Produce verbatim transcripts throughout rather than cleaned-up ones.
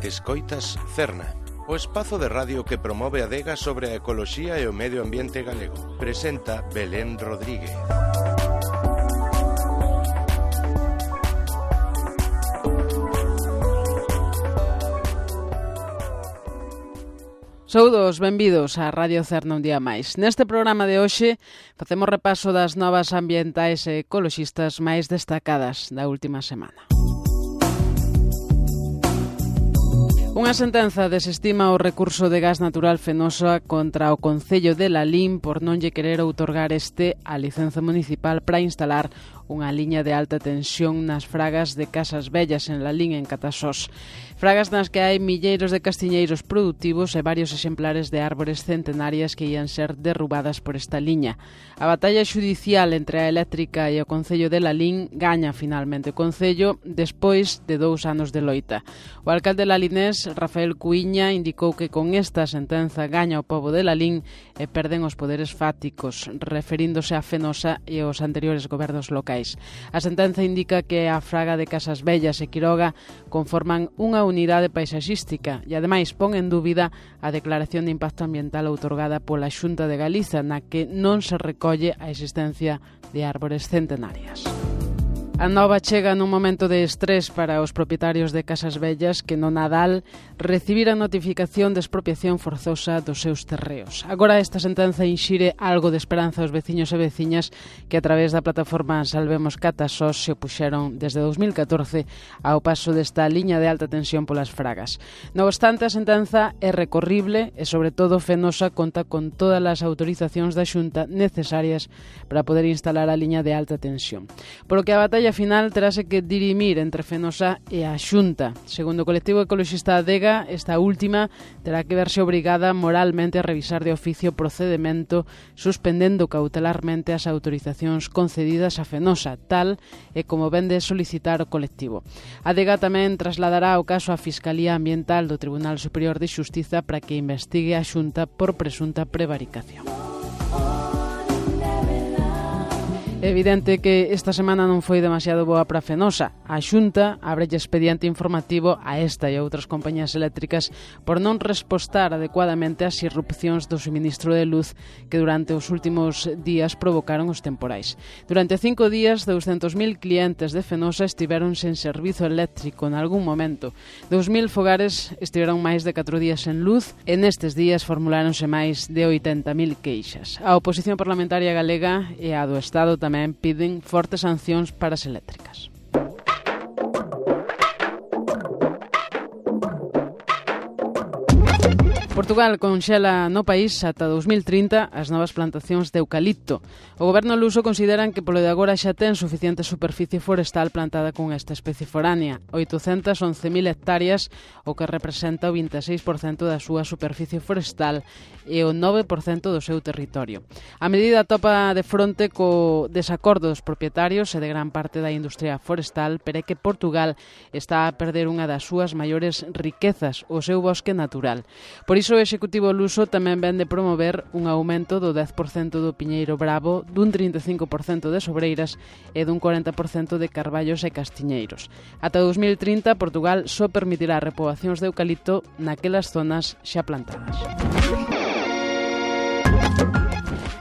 Escoitas Cerna, o espazo de radio que promove a adega sobre a ecoloxía e o medio ambiente galego. Presenta Belén Rodríguez. Saúdos, benvidos a Radio Cerna un día máis. Neste programa de hoxe facemos repaso das novas ambientais e ecoloxistas máis destacadas da última semana. Unha sentenza desestima o recurso de gas natural Fenosa contra o Concello de Lalín por non lle querer outorgar este a licenza municipal para instalar unha liña de alta tensión nas fragas de Casas Vellas en Lalín, en Catasós. Fragas nas que hai milleiros de castiñeiros productivos e varios exemplares de árbores centenarias que ian ser derrubadas por esta liña. A batalla xudicial entre a eléctrica e o Concello de Lalín gaña finalmente o Concello despois de dous anos de loita. O alcalde lalinés, Rafael Cuíña, indicou que con esta sentenza gaña o pobo de Lalín e perden os poderes fácticos, referíndose a Fenosa e aos anteriores gobernos locais. A sentenza indica que a fraga de Casas Vellas e Quiroga conforman unha unidade paisaxística e, ademais, pon en dúbida a declaración de impacto ambiental outorgada pola Xunta de Galiza, na que non se recolle a existencia de árbores centenarias. A nova chega nun momento de estrés para os propietarios de Casas Vellas que no Nadal recibiran notificación de expropiación forzosa dos seus terreos. Agora esta sentenza inxire algo de esperanza aos veciños e veciñas que a través da plataforma Salvemos Catasós se opuxeron desde dous mil catorce ao paso desta liña de alta tensión polas fragas. Non obstante, a sentenza é recorrible e, sobre todo, Fenosa conta con todas as autorizacións da Xunta necesarias para poder instalar a liña de alta tensión. Por o que a batalla a final terase que dirimir entre Fenosa e a Xunta. Segundo o colectivo ecoloxista Adega, esta última terá que verse obrigada moralmente a revisar de oficio o procedemento suspendendo cautelarmente as autorizacións concedidas a Fenosa, tal e como vende solicitar o colectivo. Adega tamén trasladará o caso á Fiscalía Ambiental do Tribunal Superior de Xustiza para que investigue a Xunta por presunta prevaricación. É evidente que esta semana non foi demasiado boa para Fenosa. A Xunta abrelle expediente informativo a esta e a outras compañías eléctricas por non respostar adecuadamente ás irrupcións do suministro de luz que durante os últimos días provocaron os temporais. Durante cinco días, douscentos mil clientes de Fenosa estiveron sen servizo eléctrico en algún momento. dous mil fogares estiveron máis de catro días sen luz e nestes días formuláronse máis de oitenta mil queixas. A oposición parlamentaria galega e a do Estado tamén tamén piden fortes sancións para as eléctricas. Portugal conxela no país ata dous mil trinta as novas plantacións de eucalipto. O goberno luso consideran que polo de agora xa ten suficiente superficie forestal plantada con esta especie foránea, oitocentas once mil hectáreas, o que representa o vinte e seis por cento da súa superficie forestal e o nove por cento do seu territorio. A medida topa de fronte co desacordo dos propietarios e de gran parte da industria forestal, pero é que Portugal está a perder unha das súas maiores riquezas, o seu bosque natural. Por iso o Executivo luso tamén ven de promover un aumento do dez por cento do piñeiro bravo, dun trinta e cinco por cento de sobreiras e dun corenta por cento de carballos e castiñeiros. Ata dous mil trinta, Portugal só permitirá repoboacións de eucalipto naquelas zonas xa plantadas.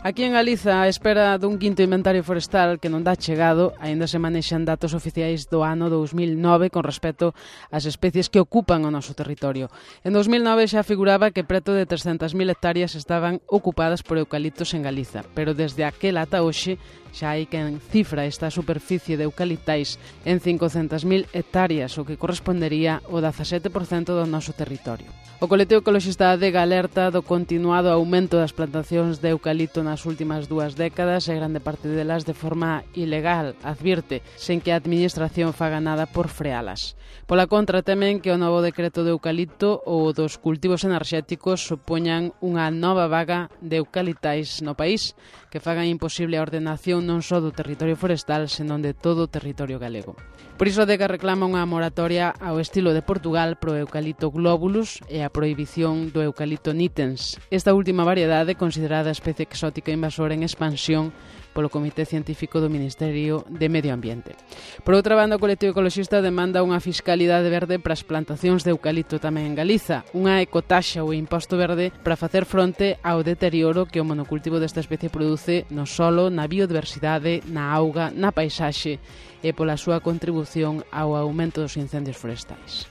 Aquí en Galiza, a espera dun quinto inventario forestal que non dá chegado, aínda se manexan datos oficiais do ano dous mil nove con respecto ás especies que ocupan o noso territorio. En dous mil nove xa figuraba que preto de trescentas mil hectáreas estaban ocupadas por eucaliptos en Galiza, pero desde aquel ata hoxe xa hai quen cifra esta superficie de eucaliptais en cincocentas mil hectáreas, o que correspondería ao dezasete por cento do noso territorio. O colectivo ecoloxista Adega alerta do continuado aumento das plantacións de eucalipto nas últimas dúas décadas e grande parte delas de forma ilegal, advirte, sen que a administración faga nada por frealas. Pola contra, temen que o novo decreto de eucalipto ou dos cultivos enerxéticos supoñan unha nova vaga de eucaliptais no país, que fagan imposible a ordenación non só do territorio forestal, senón de todo o territorio galego. Por iso, Adega reclama unha moratoria ao estilo de Portugal pro eucalipto globulus e a prohibición do eucalipto nitens. Esta última variedade, considerada especie exótica invasora en expansión, polo Comité Científico do Ministerio de Medio Ambiente. Por outra banda, o colectivo ecoloxista demanda unha fiscalidade verde para as plantacións de eucalipto tamén en Galiza, unha ecotaxa ou imposto verde para facer fronte ao deterioro que o monocultivo desta especie produce no solo, na biodiversidade, na auga, na paisaxe e pola súa contribución ao aumento dos incendios forestais.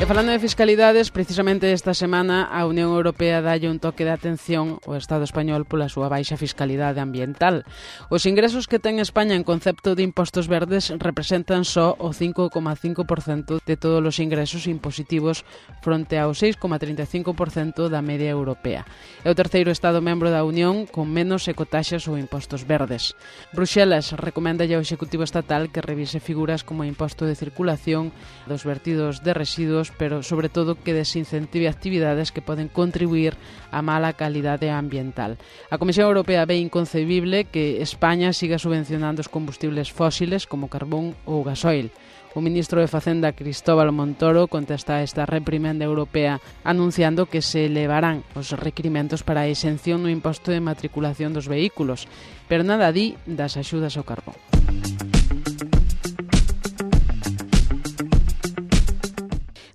E falando de fiscalidades, precisamente esta semana a Unión Europea dalle un toque de atención ao Estado español pola súa baixa fiscalidade ambiental. Os ingresos que ten España en concepto de impostos verdes representan só o cinco coma cinco por cento de todos os ingresos impositivos fronte ao seis coma trinta e cinco por cento da media europea. É o terceiro Estado membro da Unión con menos ecotaxas ou impostos verdes. Bruxelas recomendalle ao Executivo Estatal que revise figuras como o imposto de circulación dos vertidos de residuos, pero sobre todo que desincentive actividades que poden contribuir á mala calidade ambiental. A Comisión Europea ve inconcebible que España siga subvencionando os combustibles fósiles como carbón ou gasoil. O ministro de Facenda, Cristóbal Montoro, contesta a esta reprimenda europea anunciando que se elevarán os requirimentos para a exención no imposto de matriculación dos vehículos, pero nada di das axudas ao carbón.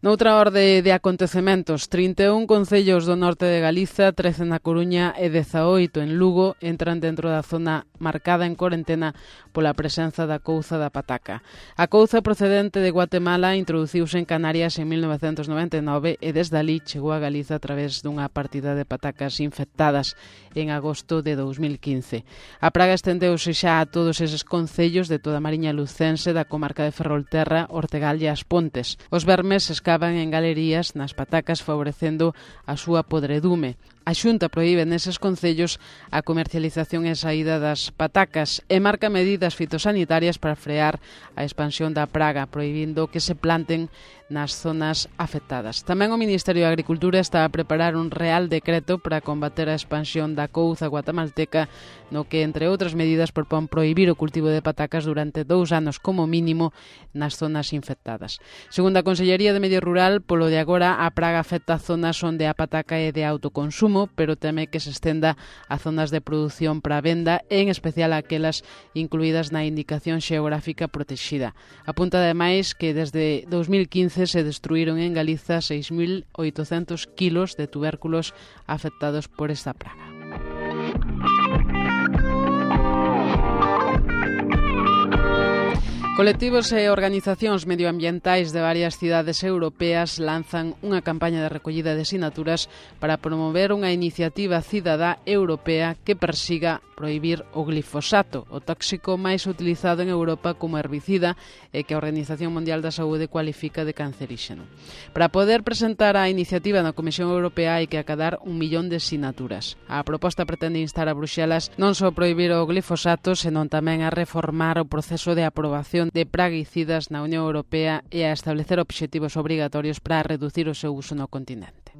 Noutra orde de acontecementos, trinta e un concellos do norte de Galiza, trece na Coruña e dezaoito en Lugo entran dentro da zona marcada en corentena pola presenza da couza da pataca. A couza procedente de Guatemala introduciuse en Canarias en mil novecentos noventa e nove e desde ali chegou a Galiza a través dunha partida de patacas infectadas en agosto de dos mil quince. A praga estendeuse xa a todos eses concellos de toda a Mariña Lucense, da comarca de Ferrolterra, Ortegal e As Pontes. Os vermes escavan en galerías nas patacas favorecendo a súa podredume. A Xunta proíbe neses concellos a comercialización e saída das patacas e marca medidas fitosanitarias para frear a expansión da praga, prohibindo que se planten nas zonas afectadas. Tamén o Ministerio de Agricultura está a preparar un real decreto para combater a expansión da couza guatemalteca, no que, entre outras medidas, propón prohibir o cultivo de patacas durante dous anos como mínimo nas zonas infectadas. Segundo a Consellería de Medio Rural, polo de agora a praga afecta zonas onde a pataca é de autoconsumo, pero teme que se estenda a zonas de produción para venda, en especial aquelas incluídas na indicación xeográfica protexida. Apunta ademais que desde dos mil quince se destruíron en Galiza seis mil oitocentos kilos de tubérculos afectados por esta praga. Colectivos e organizacións medioambientais de varias cidades europeas lanzan unha campaña de recollida de sinaturas para promover unha iniciativa cidadá europea que persiga prohibir o glifosato, o tóxico máis utilizado en Europa como herbicida e que a Organización Mundial da Saúde cualifica de canceríxeno. Para poder presentar a iniciativa na Comisión Europea hai que acadar un millón de sinaturas. A proposta pretende instar a Bruxelas non só prohibir o glifosato, senón tamén a reformar o proceso de aprobación de praguicidas na Unión Europea e a establecer obxectivos obrigatorios para reducir o seu uso no continente.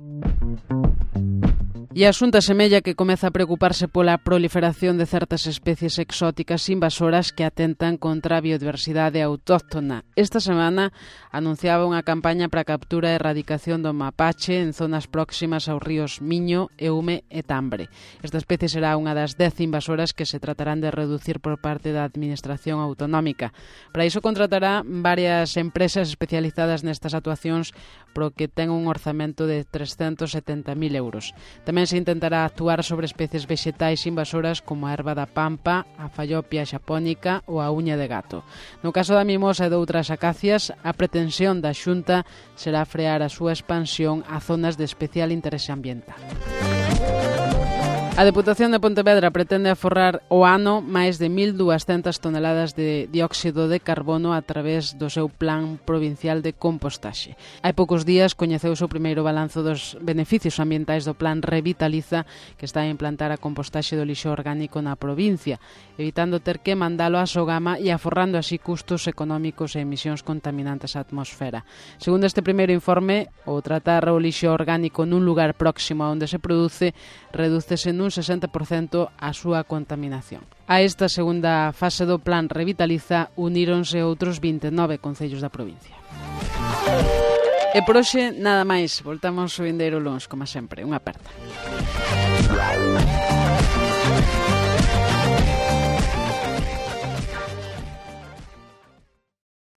E a Xunta semella que comeza a preocuparse pola proliferación de certas especies exóticas invasoras que atentan contra a biodiversidade autóctona. Esta semana anunciaba unha campaña para a captura e erradicación do mapache en zonas próximas aos ríos Miño, Eume e Tambre. Esta especie será unha das dez invasoras que se tratarán de reducir por parte da Administración Autonómica. Para iso contratará varias empresas especializadas nestas actuacións, pro que ten un orzamento de trescentos setenta mil euros. Tamén se intentará actuar sobre especies vexetais invasoras como a erva da pampa, a fallopia xapónica ou a uña de gato. No caso da mimosa e de outras acacias, a pretensión da Xunta será frear a súa expansión a zonas de especial interese ambiental. A Deputación de Pontevedra pretende aforrar o ano máis de mil duascentas toneladas de dióxido de carbono a través do seu plan provincial de compostaxe. Hai poucos días coñeceuse o primeiro balanzo dos beneficios ambientais do plan Revitaliza, que está a implantar a compostaxe do lixo orgánico na provincia, evitando ter que mandalo a Sogama e aforrando así custos económicos e emisións contaminantes á atmosfera. Segundo este primeiro informe, o tratar o lixo orgánico nun lugar próximo a onde se produce redúcese nun un sesenta por cento a súa contaminación. A esta segunda fase do plan Revitaliza uníronse outros vinte e nove concellos da provincia. E por hoxe nada máis, voltamos o vindeiro luns, como sempre, unha aperta.